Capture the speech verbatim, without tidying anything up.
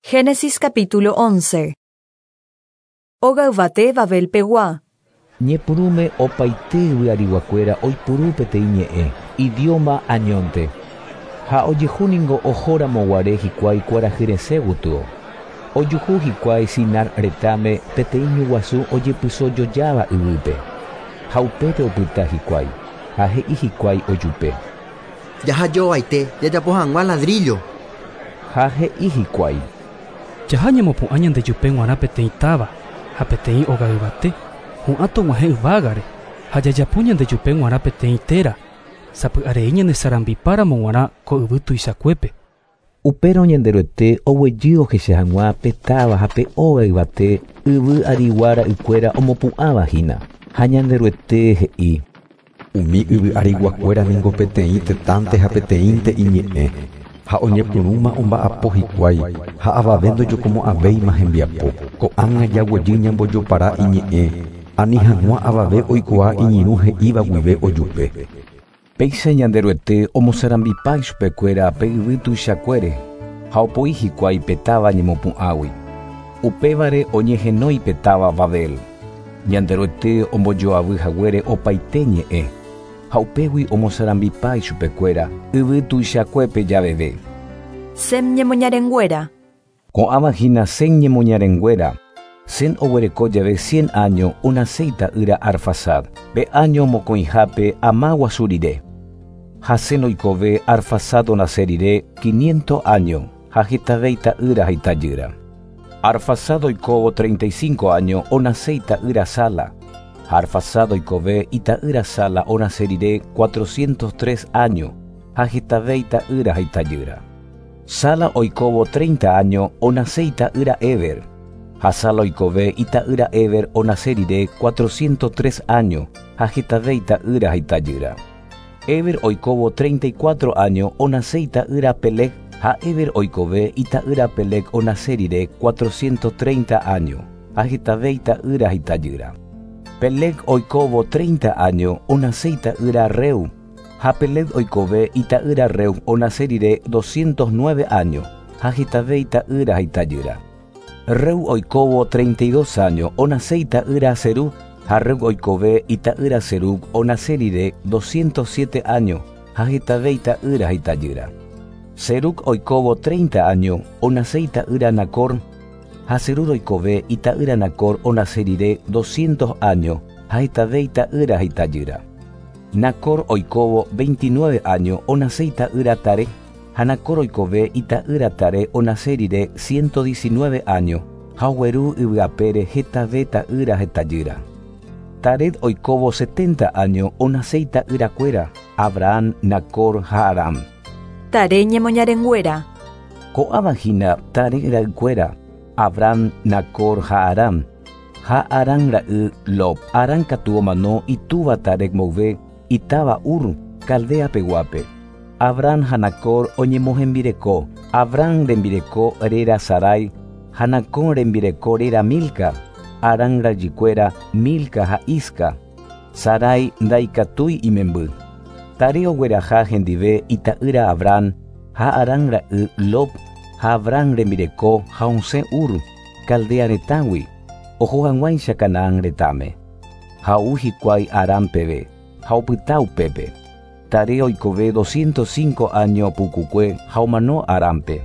Génesis capítulo once. Óga yvate Babel pegua. Ñepyrũme opaite yvyariguakuéra oipuru peteĩ ñe'ẽ, idioma añónte. Ha ojehúningo ohóramoguare hikuái kuarahyresẽ gotyo. Ojuhu hikuái Sinar retãme peteĩ ñu guasu ojepysojojáva yvýpe. Ha upépe opyta hikuái, ha he'i hikuái ojupe. Jahajovaite jajapo hag̃ua ladrillo. Ha he'i hikuái. Jaha ñamopu'ã ñandejupe g̃uarã peteĩ táva ha peteĩ óga yvate hu'ã tog̃uahẽ yvágare ha jajapo ñandejupe g̃uarã peteĩ téra sapy'arei ñanesarambipáramo g̃uarã ko yvy tuichakuépe. Upérõ Ñanderuete oguejy ohecha hag̃ua pe táva ha pe óga yvate yvy arigua ra'ykuéra omopu'ãvahína. Ha Ñanderuete he'i. Umi yvy ariguakuéra ningo peteĩ tetãnte ha peteĩnte iñe'ẽ. Ha oñepyrũma omba'apo hikuái ha avave ndojokomo'ãvéima hembiapo. Ko'ág̃a jaguejy ñambojopara iñe'ẽ ani hag̃ua avave oikuaa iñirũ he'íva guive ojupe. Péicha Ñanderuete omosarambipa ichupekuéra pe yvy tuichakuére ha opoi hikuái pe táva ñemopu'ãgui. Upévare oñehenói pe táva Babel. Ñanderuete ombojoavy haguére opaite ñe'ẽ ha upégui omosarambipa ichupekuéra yvy tuichakuépe javeve. Sem ñemoñarenguéra. Ko'ãva hína Sem ñemoñarenguéra. Sem oguereko jave cien año onase ita'ýra Arfaxad, pe año mokõihápe ama guasu rire. Ha Sem oikove Arfaxad onase rire quinientos año ha hetave ita'ýra ha itajýra. Arfaxad oikóvo treinta y cinco año onase ita'ýra Sala. Ha Arfaxad oikove ita'ýra Sala onase rire cuatrocientos tres año ha hetave ita'ýra ha itajýra. Sala oikóvo treinta año onase ita'ýra Eber. Ha Sala oikove ita'ýra Eber onase rire cuatrocientos tres año ha hetave ita'ýra ha itajýra. Eber oikóvo treinta y cuatro año onase ita'ýra Peleg ha Eber oikove ita'ýra Peleg onase rire cuatrocientos treinta año ha hetave ita'ýra ha itajýra. Peleg oikóvo treinta año onase ita'ýra Reu. Ha Peleg oikove ita'ýra Reu onase rire doscientos nueve año ha hetave ita'ýra ha itajýra. Reu oikóvo treinta y dos año onase ita'ýra Serug. Ha Reu oikove ita'ýra Serug onase rire doscientos siete año ha hetave ita'ýra ha itajýra. Serug oikóvo treinta año onase ita'ýra Nacor. Ha Serug oikove ita'ýra Nacor onase rire doscientos año ha hetave ita'ýra ha itajýra. Nacor oikóvo veintinueve año onase ita'ýra Tare. Ha Nacor oikove ita'ýra Tare onase rire ciento diecinueve año ha ogueru yvyapére hetave ta'ýra ha itajýra. Tare oikóvo setenta año onase ita'yrakuéra Abraham, Nacor ha Aram. Tare ñemoñarenguéra. Ko'ãva hína Tare ra'ykuéra Abraham, Nacor ha Aram. Ha Aram ra'y Lot. Aram katu omano itúva Tare mboyve itáva Ur, Caldea peguápe. Abraham ha Nacor oñemohembireko. Abraham rembireko réra Sarai ha Nacor rembireko réra Milca. Aram rajykuéra Milca ha Isca. Sarai ndaikatúi imemby. Tare ogueraha hendive ita'ýra Abraham ha Aram ra'y Lot ha Abraham rembireko ha osẽ Ur, Caldea retãgui, oho hag̃uáicha Canaán retãme. Ha ou hikuái Aram peve ha opyta upépe. Tare oikove doscientos cinco año pukukue ha omano Arampe.